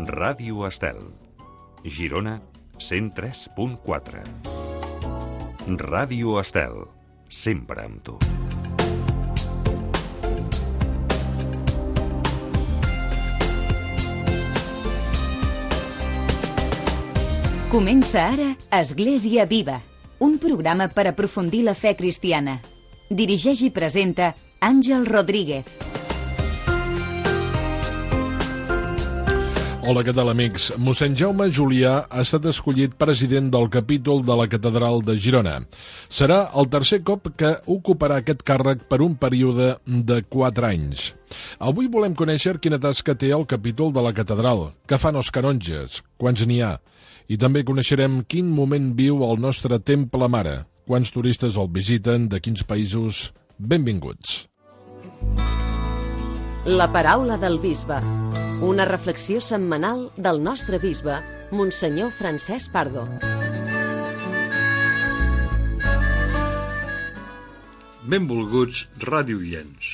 Ràdio Estel, Girona 103.4. Ràdio Estel, sempre amb tu. Comença ara Església Viva, un programa per aprofundir la fe cristiana. Dirigeix i presenta Àngel Rodríguez. Hola, què tal, amics? Mossèn Jaume Julià ha estat escollit president del capítol de la Catedral de Girona. Serà el tercer cop que ocuparà aquest càrrec per un període de 4 anys. Avui volem conèixer quina tasca té el capítol de la Catedral, què fan els canonges, quants n'hi ha, i també coneixerem quin moment viu el nostre Temple Mare, quants turistes el visiten, de quins països. Benvinguts. La paraula del bisbe. Una reflexió setmanal del nostre bisbe, Monsenyor Francesc Pardo. Benvolguts radioients.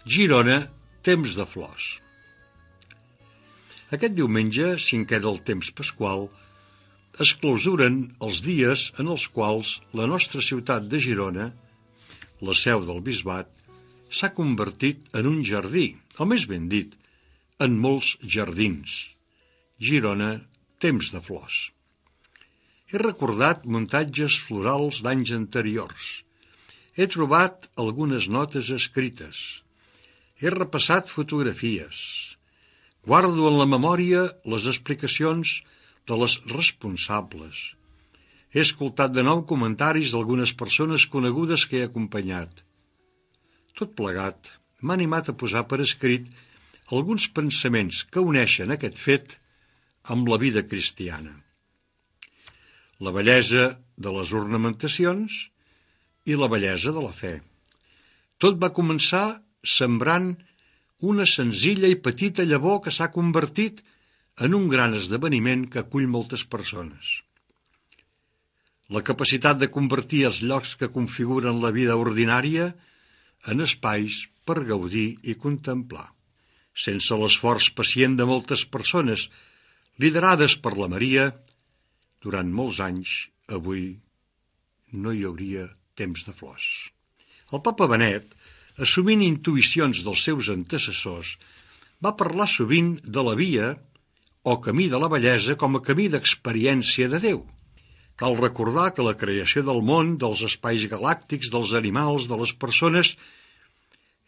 Girona, temps de flors. Aquest diumenge, 5è del temps pasqual, es clausuren els dies en els quals la nostra ciutat de Girona, la seu del bisbat, s'ha convertit en un jardí, o més ben dit, en molts jardins. Girona, temps de flors. He recordat muntatges florals d'anys anteriors. He trobat algunes notes escrites. He repassat fotografies. Guardo en la memòria les explicacions de les responsables. He escoltat de nou comentaris d'algunes persones conegudes que he acompanyat. Tot plegat m'ha animat a posar per escrit alguns pensaments que uneixen aquest fet amb la vida cristiana. La bellesa de les ornamentacions i la bellesa de la fe. Tot va començar sembrant una senzilla i petita llavor que s'ha convertit en un gran esdeveniment que acull moltes persones. La capacitat de convertir els llocs que configuren la vida ordinària en espais per gaudir i contemplar. Sense l'esforç pacient de moltes persones, liderades per la Maria, durant molts anys, avui, no hi hauria temps de flors. El papa Benet, assumint intuïcions dels seus antecessors, va parlar sovint de la via o camí de la bellesa com a camí d'experiència de Déu. Cal recordar que la creació del món, dels espais galàctics, dels animals, de les persones,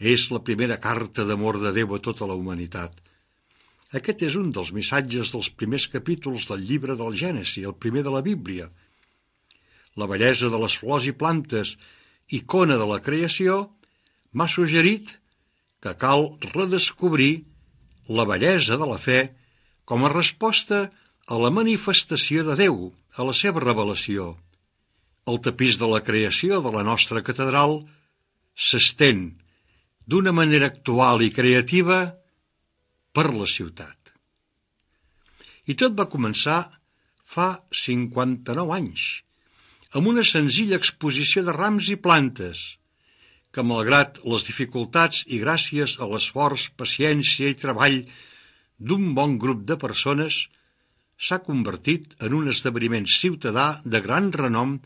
és la primera carta d'amor de Déu a tota la humanitat. Aquest és un dels missatges dels primers capítols del llibre del Gènesi, el primer de la Bíblia. La bellesa de les flors i plantes, icona de la creació, m'ha suggerit que cal redescobrir la bellesa de la fe com a resposta a la manifestació de Déu, a la seva revelació. El tapís de la creació de la nostra catedral s'estén d'una manera actual i creativa per la ciutat. I tot va començar fa 59 anys, amb una senzilla exposició de rams i plantes, que malgrat les dificultats i gràcies a l'esforç, paciència i treball d'un bon grup de persones, s'ha convertit en un esdeveniment ciutadà de gran renom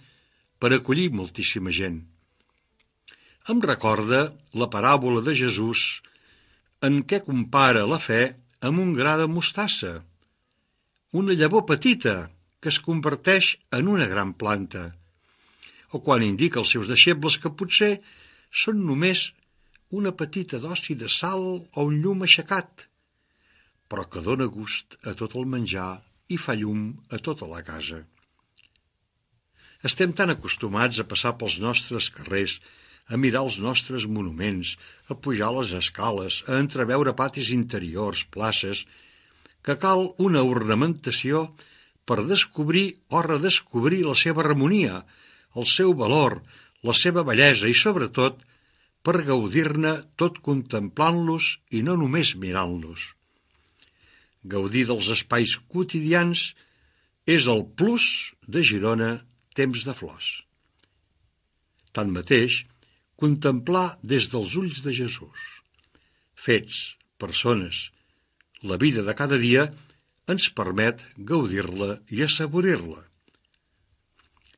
per acollir moltíssima gent. Em recorda la paràbola de Jesús en què compara la fe amb un gra de mostassa, una llavor petita que es converteix en una gran planta, o quan indica als seus deixebles que potser són només una petita dosi de sal o un llum aixecat, però que dóna gust a tot el menjar i fa llum a tota la casa. Estem tan acostumats a passar pels nostres carrers, a mirar els nostres monuments, a pujar les escales, a entreveure patis interiors, places, que cal una ornamentació per descobrir o redescobrir la seva harmonia, el seu valor, la seva bellesa i, sobretot, per gaudir-ne tot contemplant-los i no només mirant-los. Gaudir dels espais quotidians és el plus de Girona, temps de flors. Tanmateix, contemplar des dels ulls de Jesús, fets, persones, la vida de cada dia ens permet gaudir-la i assaborir-la.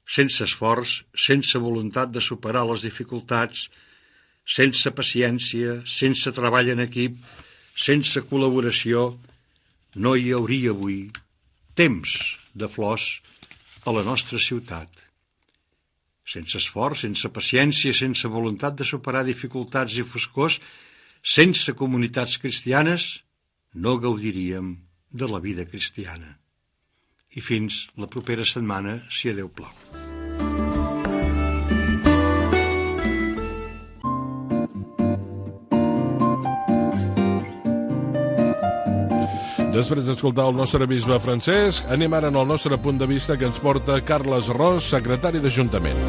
Sense esforç, sense voluntat de superar les dificultats, sense paciència, sense treball en equip, sense col·laboració, no hi hauria avui temps de flors a la nostra ciutat. Sense esforç, sense paciència, sense voluntat de superar dificultats i foscors, sense comunitats cristianes, no gaudiríem de la vida cristiana. I fins la propera setmana, si a Déu plau. Després d'escoltar el nostre bisbe Francesc, anem ara en el nostre punt de vista que ens porta Carles Ros, secretari d'Ajuntament.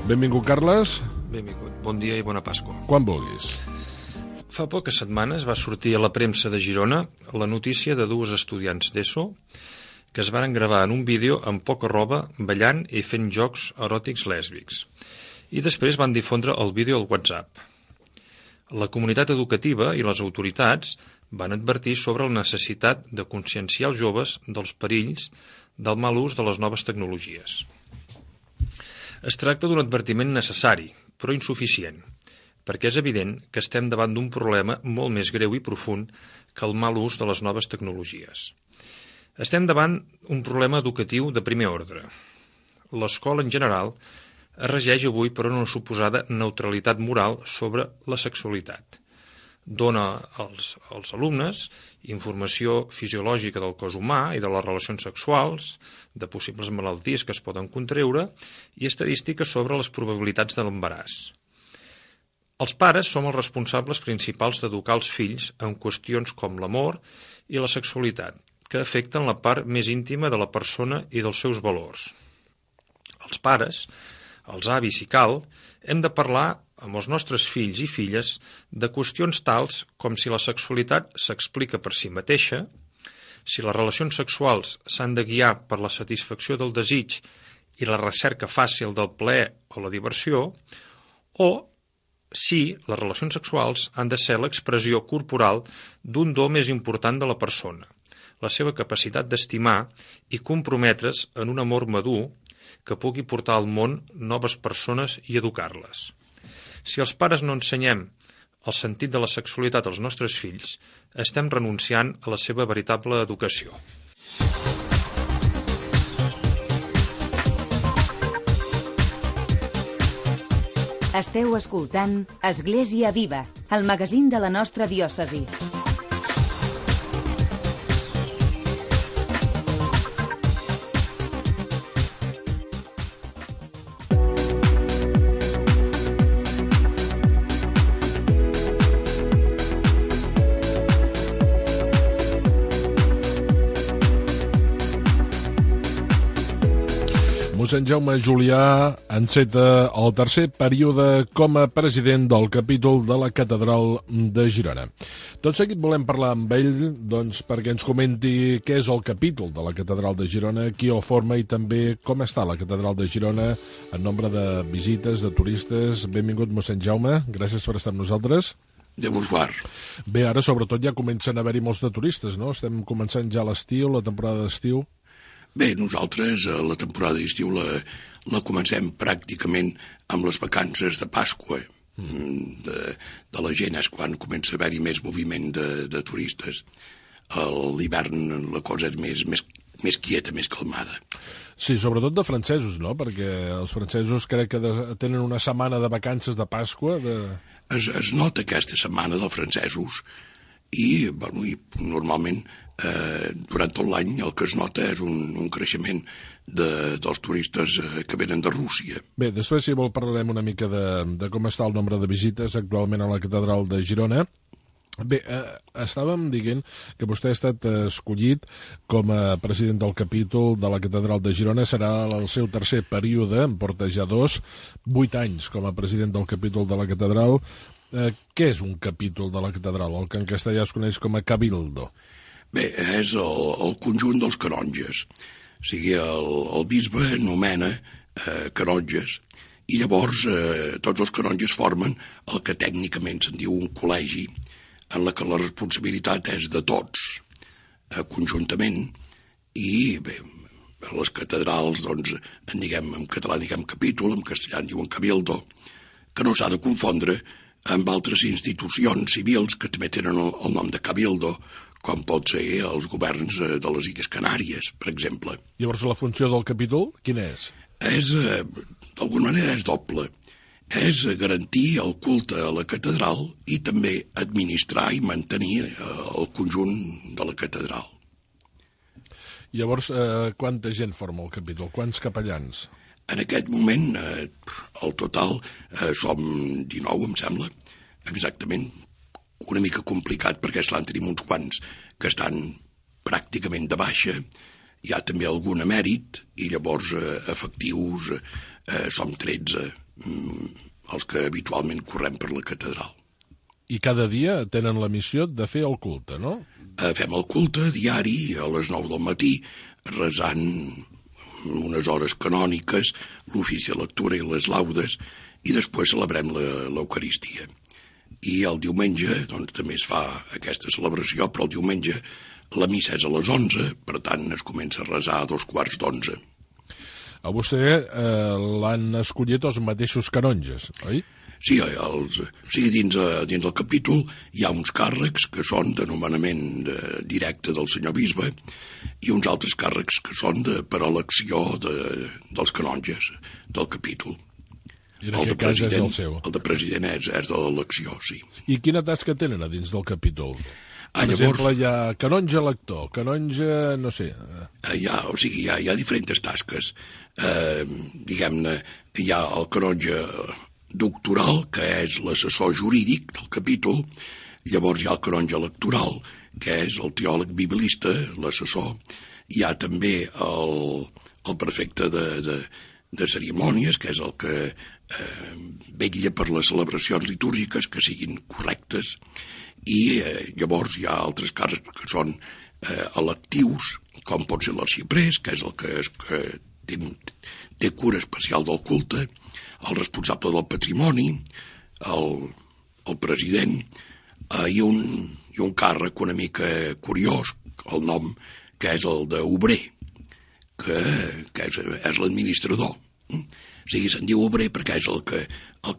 Benvingut, Carles. Benvingut. Bon dia i bona Pasqua. Quan vulguis. Fa poques setmanes va sortir a la premsa de Girona la notícia de dues estudiants d'ESO que es van gravar en un vídeo amb poca roba ballant i fent jocs eròtics lèsbics. I després van difondre el vídeo al WhatsApp. La comunitat educativa i les autoritats van advertir sobre la necessitat de conscienciar els joves dels perills del mal ús de les noves tecnologies. Es tracta d'un advertiment necessari, però insuficient, perquè és evident que estem davant d'un problema molt més greu i profund que el mal ús de les noves tecnologies. Estem davant un problema educatiu de primer ordre. L'escola en general es regeix avui per una suposada neutralitat moral sobre la sexualitat. Dona als alumnes informació fisiològica del cos humà i de les relacions sexuals, de possibles malalties que es poden contreure i estadístiques sobre les probabilitats de l'embaràs. Els pares som els responsables principals d'educar els fills en qüestions com l'amor i la sexualitat, que afecten la part més íntima de la persona i dels seus valors. Els pares, els avis si cal, hem de parlar amb els nostres fills i filles de qüestions tals com si la sexualitat s'explica per si mateixa, si les relacions sexuals s'han de guiar per la satisfacció del desig i la recerca fàcil del plaer o la diversió, o si les relacions sexuals han de ser l'expressió corporal d'un do més important de la persona, la seva capacitat d'estimar i comprometre's en un amor madur que pugui portar al món noves persones i educar-les. Si els pares no ensenyem el sentit de la sexualitat als nostres fills, estem renunciant a la seva veritable educació. Esteu escoltant Església Viva, el magazín de la nostra diòcesi. Mossèn Jaume Julià enceta el tercer període com a president del capítol de la Catedral de Girona. Tot seguit volem parlar amb ell perquè ens comenti què és el capítol de la Catedral de Girona, qui el forma i també com està la Catedral de Girona en nombre de visites, de turistes. Benvingut, mossèn Jaume. Gràcies per estar amb nosaltres. De vos guard. Bé, ara sobretot ja comencen a haver-hi molts de turistes, no? Estem començant ja l'estiu, la temporada d'estiu. Bé, nosaltres la temporada d'estiu la comencem pràcticament amb les vacances de Pasqua. De la gent és quan comença a haver-hi més moviment de turistes. A l'hivern la cosa és més quieta, més calmada. Sí, sobretot de francesos, no? Perquè els francesos crec que tenen una setmana de vacances de Pasqua. Es nota aquesta setmana dels francesos i normalment durant tot l'any el que es nota és un creixement dels turistes que venen de Rússia. Bé, després si vol parlarem una mica de com està el nombre de visites actualment a la Catedral de Girona. Bé, estàvem dient que vostè ha estat escollit com a president del capítol de la Catedral de Girona. Serà el seu tercer període, en porta ja 8 anys com a president del capítol de la Catedral. Què és un capítol de la Catedral, el que en castellà es coneix com a cabildo? Bé, és el conjunt dels canonges. O sigui, el bisbe nomena canonges i llavors tots els canonges formen el que tècnicament se'n diu un col·legi en la que la responsabilitat és de tots, conjuntament, i bé, a les catedrals, doncs, en català diguem capítol, en castellà en diuen cabildo, que no s'ha de confondre amb altres institucions civils que també tenen el nom de cabildo, com pot ser els governs de les Illes Canàries, per exemple. Llavors, la funció del capítol, quina és? D'alguna manera és doble. És garantir el culte a la catedral i també administrar i mantenir el conjunt de la catedral. Llavors, quanta gent forma el capítol? Quants capellans? En aquest moment, al total, som 19, em sembla, exactament. Una mica complicat perquè, esclar, en tenim uns quants que estan pràcticament de baixa, hi ha també algun emèrit, i llavors efectius som 13, els que habitualment correm per la catedral. I cada dia tenen la missió de fer el culte, no? Fem el culte diari a les 9 del matí, resant unes hores canòniques, l'ofici de lectura i les laudes, i després celebrem l'Eucaristia. I el diumenge, doncs, també es fa aquesta celebració, però el diumenge la missa és a les 11, per tant es comença a resar a 11:15. A vostè l'han escollit els mateixos canonges, oi? Sí, dins del capítol hi ha uns càrrecs que són de nomenament directe del senyor bisbe i uns altres càrrecs que són per elecció dels canonges del capítol. I en aquest cas és el seu. El de president és de l'elecció, sí. I quina tasca tenen a dins del capítol? Per exemple, hi ha canonge lector, canonge, no sé... Hi ha diferents tasques. Diguem-ne, hi ha el canonge doctoral, que és l'assessor jurídic del capítol, llavors hi ha el canonge electoral, que és el teòleg biblista, l'assessor, hi ha també el prefecte de cerimònies, que és el que vetlla per les celebracions litúrgiques que siguin correctes, i llavors hi ha altres càrrecs que són electius, com pot ser l'arxiprés, que és el que té cura especial del culte, el responsable del patrimoni, el president, i un càrrec una mica curiós, el nom, que és el d'obrer, que és l'administrador. O sigui, se'n diu obrer perquè és el que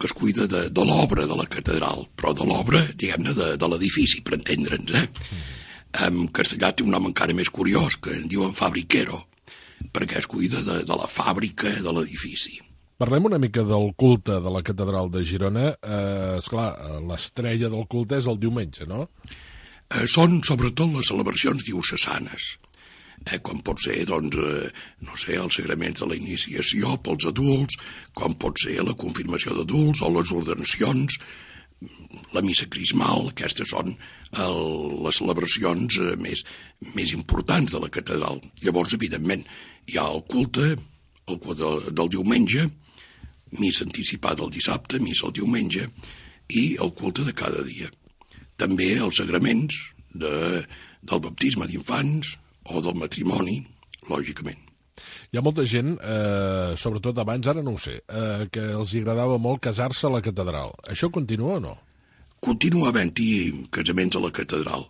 es cuida de l'obra de la catedral, però de l'obra, diguem-ne, de l'edifici, per entendre'ns. En castellà té un nom encara més curiós, que en diuen fabriquero, perquè es cuida de la fàbrica de l'edifici. Parlem una mica del culte de la catedral de Girona. Esclar, l'estrella del culte és el diumenge, no? Són sobretot les celebracions diocesanes, com pot ser, doncs, no sé, els sagraments de la iniciació pels adults, com pot ser la confirmació d'adults o les ordenacions, la missa crismal. Aquestes són les celebracions més importants de la catedral. Llavors, evidentment, hi ha el culte del diumenge, missa anticipada el dissabte, missa el diumenge, i el culte de cada dia. També els sagraments del baptisme d'infants o del matrimoni, lògicament. Hi ha molta gent, sobretot abans, ara no ho sé, que els agradava molt casar-se a la catedral. Això continua o no? Continua havent-hi casaments a la catedral.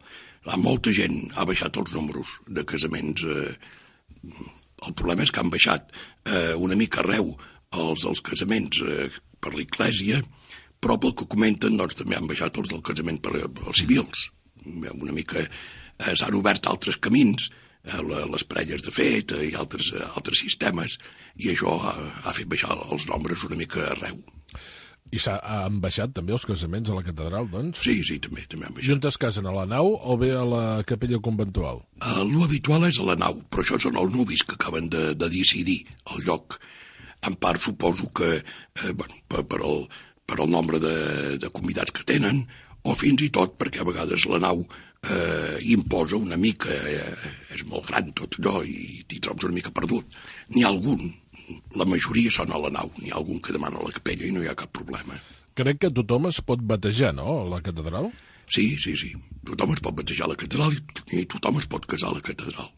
Molta gent ha baixat els números de casaments. El problema és que han baixat una mica arreu els casaments per l'església, però pel que comenten, doncs, també han baixat els del casament per els civils. Una mica s'han obert altres camins, les parelles de fet i altres sistemes, i això ha fet baixar els nombres una mica arreu. I han baixat també els casaments a la catedral, doncs? Sí, també han baixat. I on es casen, a la nau o bé a la capella conventual? Lo habitual és a la nau, però això són els nuvis que acaben de decidir el lloc. En part suposo que per el nombre de convidats que tenen, o fins i tot perquè a vegades la nau imposa una mica, és molt gran tot allò i t'hi trobes una mica perdut. N'hi ha algun, la majoria són a la nau, n'hi ha algun que demana a la capella i no hi ha cap problema. Crec que tothom es pot batejar, no?, a la catedral? Sí, tothom es pot batejar a la catedral i tothom es pot casar a la catedral.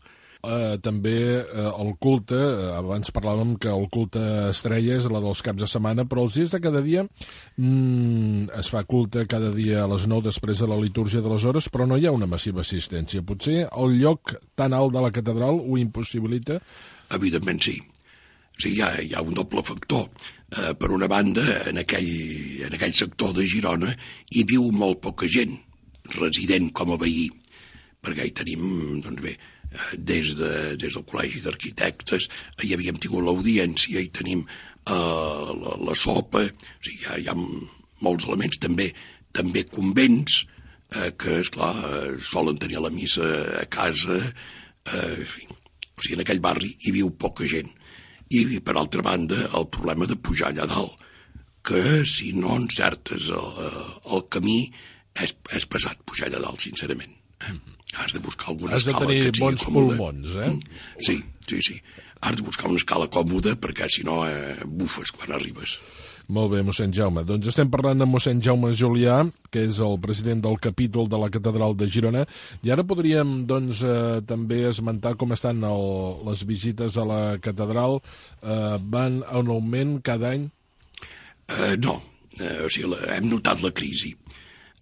també el culte, abans parlàvem que el culte estrella és la dels caps de setmana, però els dies de cada dia es fa culte cada dia a les 9 després de la litúrgia de les hores, però no hi ha una massiva assistència. Potser el lloc tan alt de la catedral ho impossibilita? Evidentment sí. Sí, hi ha un doble factor. Per una banda, en aquell sector de Girona hi viu molt poca gent resident com a veí, perquè hi tenim, doncs bé, des del Col·legi d'Arquitectes hi havíem tingut l'audiència, hi tenim la sopa, o sigui, hi ha molts elements, també convents que, esclar, solen tenir la missa a casa, o sigui, en aquell barri hi viu poca gent. I, per altra banda, el problema de pujar allà dalt, que si no encertes el camí és pesat pujar allà dalt, sincerament. Has de buscar alguna escala que et sigui bons còmoda. pulmons, Sí. Has de buscar una escala còmoda perquè si no bufes quan arribes. Molt bé, mossèn Jaume. Doncs estem parlant amb mossèn Jaume Julià, que és el president del capítol de la Catedral de Girona, i ara podríem doncs, també esmentar com estan les visites a la catedral. Van en augment cada any? No, o sigui, hem notat la crisi.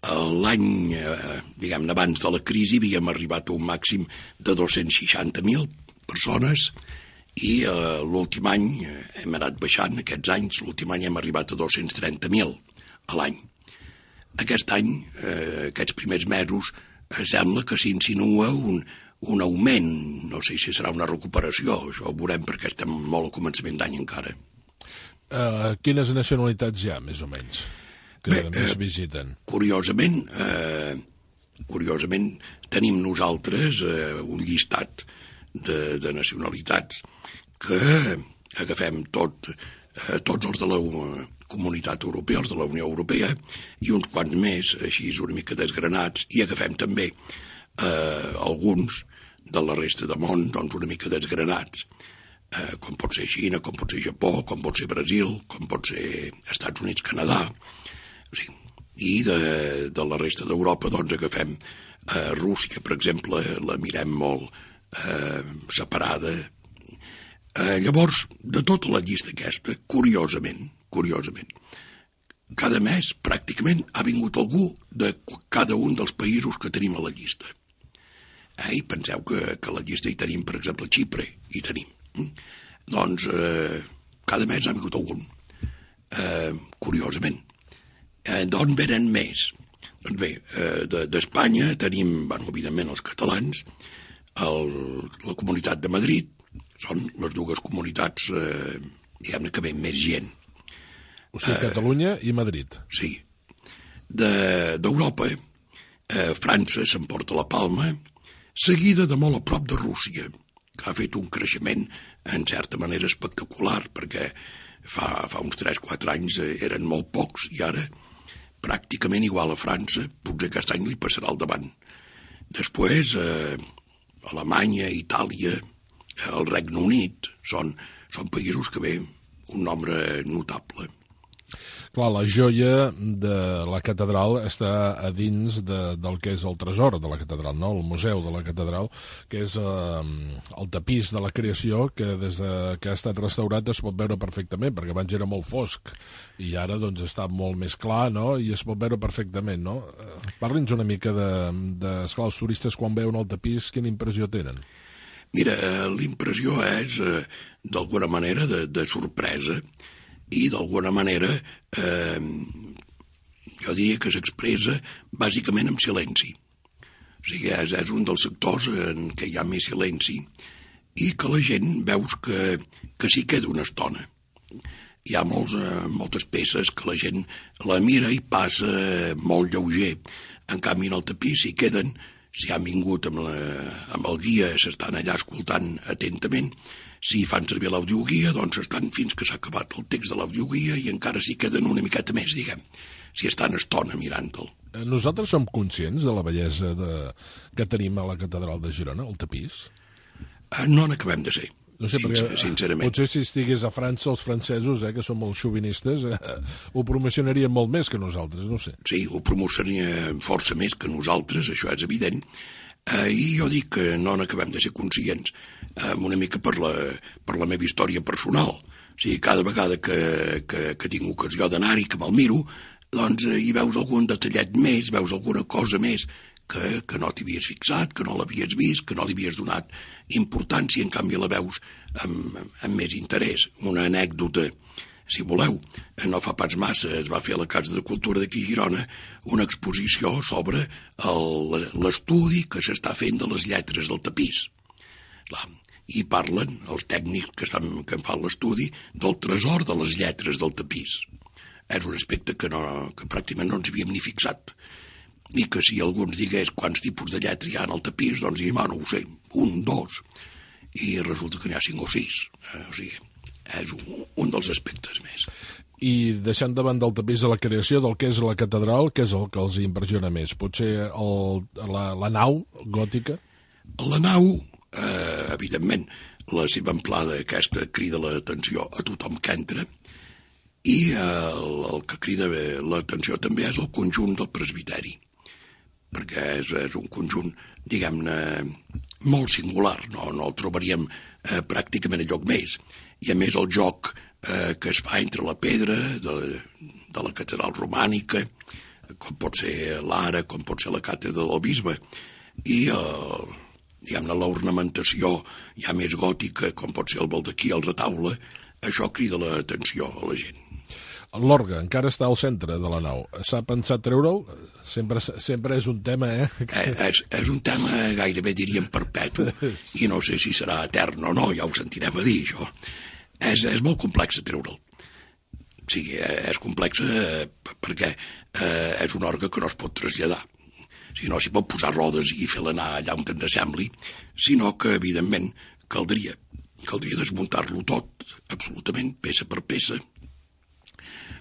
L'any, diguem-ne, abans de la crisi havíem arribat a un màxim de 260.000 persones i l'últim any hem anat baixant, aquests anys, l'últim any hem arribat a 230.000 a l'any. Aquest any, aquests primers mesos, sembla que s'insinua un augment, no sé si serà una recuperació, això ho veurem perquè estem molt al començament d'any encara. Quines nacionalitats hi ha, més o menys, que més visiten? Curiosament, tenim nosaltres un llistat de nacionalitats que agafem tots els de la Comunitat Europea, els de la Unió Europea, i uns quants més, així una mica desgranats, i agafem també alguns de la resta del món, doncs una mica desgranats, com pot ser Xina, com pot ser Japó, com pot ser Brasil, com pot ser Estats Units, Canadà, sí. I de la resta d'Europa doncs agafem Rússia, per exemple, la mirem molt separada. Llavors, de tota la llista aquesta, curiosament, cada mes pràcticament ha vingut algú de cada un dels països que tenim a la llista. I penseu que a la llista hi tenim, per exemple, Xipre, hi tenim. Doncs cada mes ha vingut algun, curiosament. D'on venen més? Doncs bé, d'Espanya tenim, evidentment, els catalans, la Comunitat de Madrid, són les dues comunitats, diguem-ne, que ven més gent. O sigui, Catalunya i Madrid. Sí. D'Europa, França s'emporta la palma, seguida de molt a prop de Rússia, que ha fet un creixement, en certa manera, espectacular, perquè fa uns 3-4 anys eren molt pocs, i ara pràcticament igual a França, potser aquest any li passarà al davant. Després, Alemanya, Itàlia, el Regne Unit, són països que ve un nombre notable. Clar, la joia de la catedral està a dins del que és el tresor de la catedral, no? El museu de la catedral, que és el tapís de la creació, que des que ha estat restaurat es pot veure perfectament, perquè abans era molt fosc, i ara doncs està molt més clar, no? I es pot veure perfectament, no? Parli'ns una mica esclar, els turistes quan veuen el tapís, quina impressió tenen? Mira, l'impressió és, d'alguna manera, de sorpresa, i d'alguna manera jo diria que s'expressa bàsicament amb silenci. O sigui, és un dels sectors en què hi ha més silenci i que la gent veus que s'hi queda una estona. Hi ha moltes peces que la gent la mira i passa molt lleuger. En canvi, en el tapís s'hi queden, si han vingut amb el guia, s'estan allà escoltant atentament. Si fan servir l'audioguia, doncs estan fins que s'ha acabat el text de l'audioguia i encara s'hi queden una miqueta més, diguem, si estan estona mirant-te'l. Nosaltres som conscients de la bellesa que tenim a la catedral de Girona, el tapís? No n'acabem de ser, no sé, sincerament. Potser si estigués a França, els francesos, que són molt xovinistes, ho promocionarien molt més que nosaltres, no sé. Sí, ho promocionarien força més que nosaltres, això és evident. I jo dic que no n'acabem de ser conscients, una mica per la meva història personal. O sigui, cada vegada que tinc ocasió d'anar-hi, que me'l miro, doncs hi veus algun detallet més, veus alguna cosa més que no t'hi havies fixat, que no l'havies vist, que no li havies donat importància, en canvi la veus amb més interès. Una anècdota, si voleu, no fa pas massa es va fer a la Casa de Cultura d'aquí a Girona una exposició sobre l'estudi que s'està fent de les lletres del tapís. I parlen els tècnics que en fan l'estudi del tresor de les lletres del tapís. És un aspecte que pràcticament no ens havíem ni fixat. I que si algú ens digués quants tipus de lletra hi ha en el tapís, doncs diríem, no ho sé, 1, 2, i resulta que n'hi ha 5 o 6. O sigui, és un dels aspectes més. I deixant davant del tapís de la creació del que és la catedral, què és el que els impressiona més? Potser la nau gòtica? La nau, evidentment, la seva amplada aquesta crida l'atenció a tothom que entra, i el que crida l'atenció també és el conjunt del presbiteri, perquè és un conjunt, diguem-ne, molt singular, no el trobaríem pràcticament a lloc més. I a més el joc que es fa entre la pedra de la catedral romànica, com pot ser l'ara, com pot ser la càtedra del bisbe, i diguem-ne l'ornamentació ja més gòtica, com pot ser el baldaquí, el retaule, això crida l'atenció a la gent. L'orgue encara està al centre de la nau. S'ha pensat treure'l? Sempre és un tema, És un tema gairebé, diríem, perpetu, i no sé si serà etern o no, ja ho sentirem a dir, això. És molt complex treure'l. Sí, és complex perquè és un orgue que no es pot traslladar. Si no s'hi pot posar rodes i fer-la anar allà on ens sembli, sinó que, evidentment, caldria desmuntar-lo tot, absolutament, peça per peça.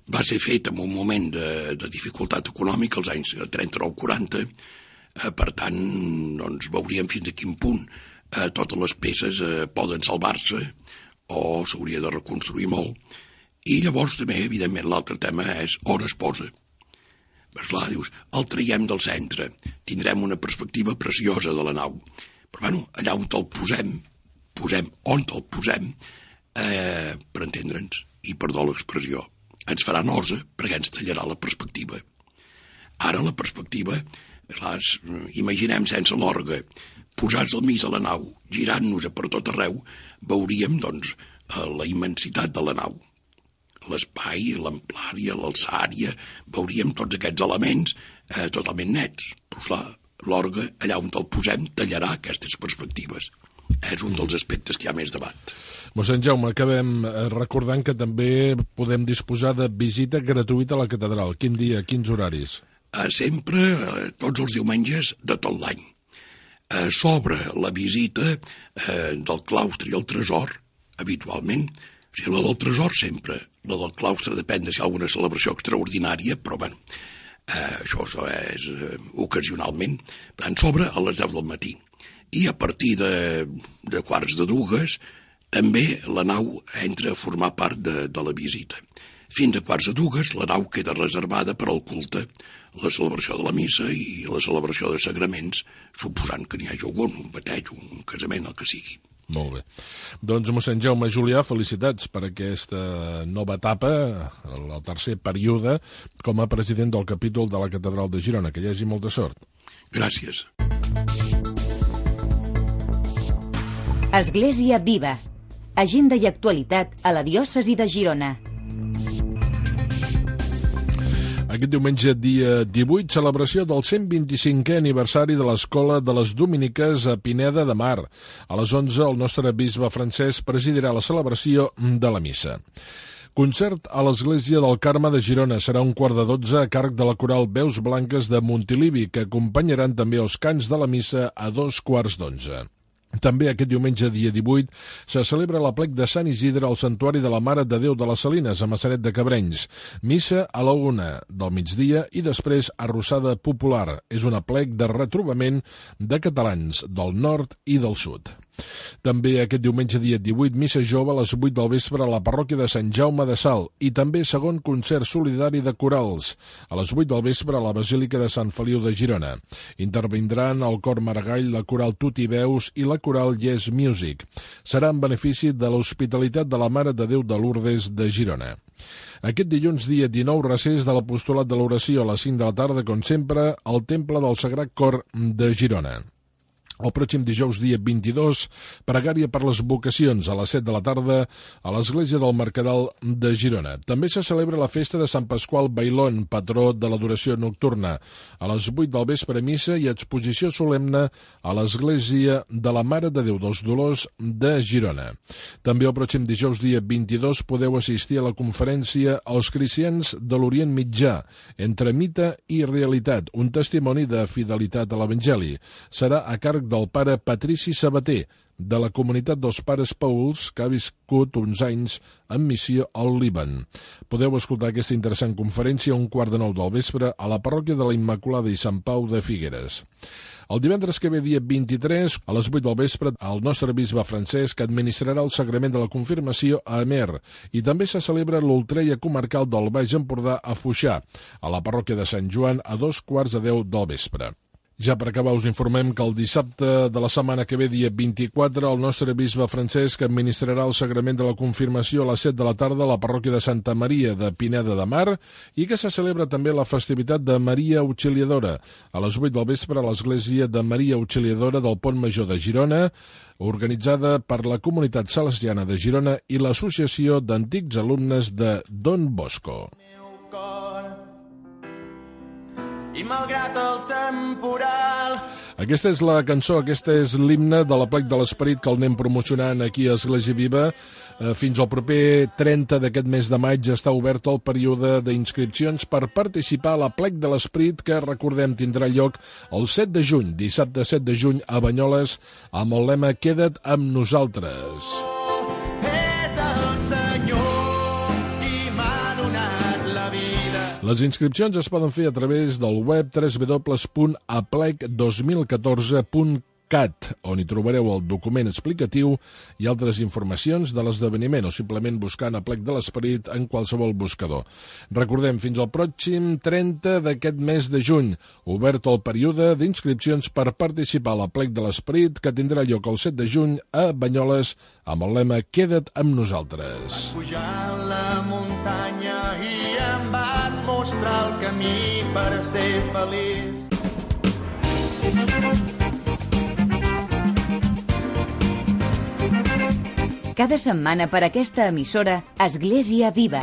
Va ser fet en un moment de dificultat econòmica, als anys 39-40, per tant, doncs, veuríem fins a quin punt totes les peces poden salvar-se o s'hauria de reconstruir molt. I llavors també, evidentment, l'altre tema és on es posa. Esclar, dius, el traiem del centre, tindrem una perspectiva preciosa de la nau, però bueno, allà on te'l posem on te'l posem, per entendre'ns, i perdó l'expressió, ens farà nosa perquè ens tallarà la perspectiva. Ara la perspectiva, clar, imaginem sense l'orgue, posats al mig de la nau, girant-nos per tot arreu, veuríem, doncs, la immensitat de la nau. L'espai, l'amplària, l'alçària, veuríem tots aquests elements totalment nets. Però, clar, l'orgue, allà on el posem, tallarà aquestes perspectives. És un dels aspectes que hi ha més debat. Mossèn Jaume, acabem recordant que també podem disposar de visita gratuïta a la catedral. Quin dia, quins horaris? Sempre, tots els diumenges de tot l'any. S'obre la visita del claustre i el tresor, habitualment. O sigui, la del tresor sempre. La del claustre depèn de si hi ha alguna celebració extraordinària, però bueno, això és ocasionalment. Per tant, s'obre a les 10 del matí. I a partir de quarts de 2, també la nau entra a formar part de la visita. Fins a quarts de 2 la nau queda reservada per al culte, la celebració de la missa i la celebració de sagraments, suposant que n'hi hagi algun, un bateig, un casament, el que sigui. Molt bé. Doncs, mossèn Jaume Julià, felicitats per aquesta nova etapa, el tercer període, com a president del capítol de la Catedral de Girona. Que hi hagi molta sort. Gràcies. Església Viva. Agenda i actualitat a la diòcesi de Girona. Aquest diumenge, dia 18, celebració del 125è aniversari de l'Escola de les Dominiques a Pineda de Mar. A les 11, el nostre bisbe Francesc presidirà la celebració de la missa. Concert a l'Església del Carme de Girona. Serà 11:15 a càrrec de la coral Veus Blanques de Montilivi, que acompanyaran també els cants de la missa a 11:15. També aquest diumenge, dia 18, se celebra l'aplec de Sant Isidre al Santuari de la Mare de Déu de les Salines, a Massanet de Cabrenys. Missa a la 1 del migdia i després arrossada popular. És un aplec de retrobament de catalans del nord i del sud. També aquest diumenge dia 18, missa jove a les 8 del vespre a la parròquia de Sant Jaume de Salt i també segon concert solidari de corals a les 8 del vespre a la Basílica de Sant Feliu de Girona. Intervindran el cor Maragall, la coral Tutti Veus i la coral Yes Music. Serà en benefici de l'Hospitalitat de la Mare de Déu de Lourdes de Girona. Aquest dilluns, dia 19, recés de l'Apostolat de l'Oració a les 5 de la tarda, com sempre, al Temple del Sagrat Cor de Girona. El pròxim dijous, dia 22, pregària per les vocacions a les 7 de la tarda a l'Església del Mercadal de Girona. També se celebra la festa de Sant Pasqual Bailón, patró de l'adoració nocturna. A les 8 del vespre, missa i exposició solemne a l'Església de la Mare de Déu dels Dolors de Girona. També el pròxim dijous, dia 22, podeu assistir a la conferència Els cristians de l'Orient Mitjà, entre mite i realitat, un testimoni de fidelitat a l'Evangeli. Serà a càrrec del pare Patrici Sabater, de la comunitat dels Pares Pauls, que ha viscut uns anys en missió al Líban. Podeu escoltar aquesta interessant conferència a 8:45 del vespre a la parròquia de la Immaculada i Sant Pau de Figueres. El divendres que ve, dia 23, a les 8 del vespre, el nostre bisbe Francesc administrarà el sagrament de la confirmació a Amer i també se celebra l'Ultreia comarcal del Baix Empordà a Foixà, a la parròquia de Sant Joan, a 9:45 del vespre. Ja per acabar us informem que el dissabte de la setmana que ve, dia 24, el nostre bisbe Francesc administrarà el sagrament de la confirmació a les 7 de la tarda a la parròquia de Santa Maria de Pineda de Mar i que se celebra també la festivitat de Maria Auxiliadora a les 8 del vespre a l'església de Maria Auxiliadora del Pont Major de Girona, organitzada per la Comunitat Salesiana de Girona i l'Associació d'Antics Alumnes de Don Bosco. I malgrat el temporal... Aquesta és la cançó, aquesta és l'himne de l'Aplec de l'Esperit que el anem promocionant aquí a Església Viva. Fins al proper 30 d'aquest mes de maig està obert el període d'inscripcions per participar a l'Aplec de l'Esperit que, recordem, tindrà lloc el 7 de juny, dissabte 7 de juny a Banyoles, amb el lema Queda't amb nosaltres. Les inscripcions es poden fer a través del web www.aplec2014.cat, on hi trobareu el document explicatiu i altres informacions de l'esdeveniment, o simplement buscant Aplec de l'Esperit en qualsevol buscador. Recordem, fins al pròxim 30 d'aquest mes de juny, obert el període d'inscripcions per participar a l'Aplec de l'Esperit, que tindrà lloc el 7 de juny a Banyoles, amb el lema Queda't amb nosaltres. Pujant la muntanya i em vas mostrar el camí per ser feliç. Cada setmana per aquesta emissora, Església Viva.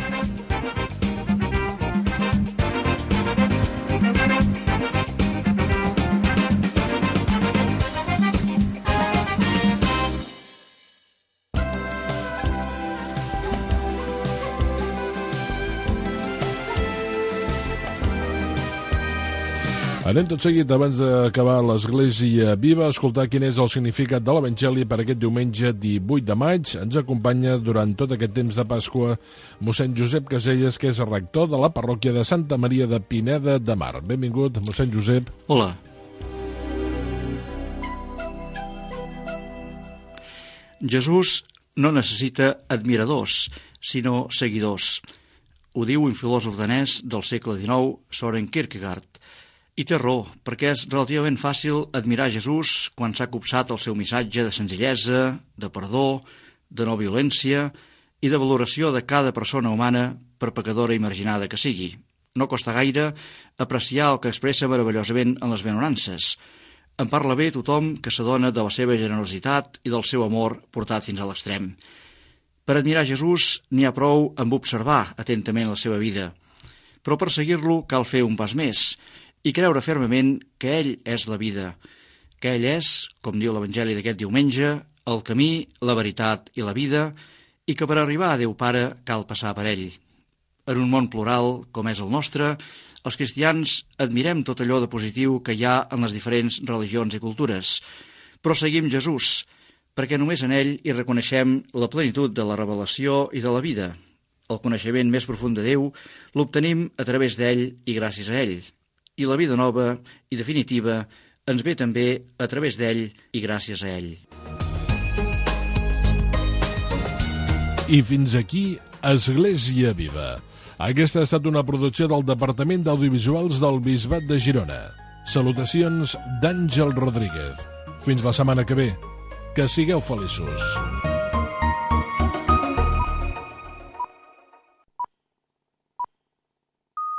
Anem tot seguit, abans d'acabar l'Església Viva, a escoltar quin és el significat de l'Evangeli per aquest diumenge 18 de maig. Ens acompanya durant tot aquest temps de Pasqua mossèn Josep Caselles, que és rector de la parròquia de Santa Maria de Pineda de Mar. Benvingut, mossèn Josep. Hola. Jesús no necessita admiradors, sinó seguidors. Ho diu un filòsof danès del segle XIX, Søren Kierkegaard. I té raó, perquè és relativament fàcil admirar Jesús quan s'ha copsat el seu missatge de senzillesa, de perdó, de no violència i de valoració de cada persona humana, per pecadora i marginada que sigui. No costa gaire apreciar el que expressa meravellosament en les benaurances. En parla bé tothom que s'adona de la seva generositat i del seu amor portat fins a l'extrem. Per admirar Jesús n'hi ha prou amb observar atentament la seva vida, però per seguir-lo cal fer un pas més i creure fermament que ell és la vida, que ell és, com diu l'Evangeli d'aquest diumenge, el camí, la veritat i la vida, i que per arribar a Déu Pare cal passar per ell. En un món plural, com és el nostre, els cristians admirem tot allò de positiu que hi ha en les diferents religions i cultures, però seguim Jesús, perquè només en ell hi reconeixem la plenitud de la revelació i de la vida. El coneixement més profund de Déu l'obtenim a través d'ell i gràcies a ell. I la vida nova i definitiva ens ve també a través d'ell i gràcies a ell. I fins aquí Església Viva. Aquesta ha estat una producció del Departament d'Audiovisuals del Bisbat de Girona. Salutacions d'Àngel Rodríguez. Fins la setmana que ve. Que sigueu feliços.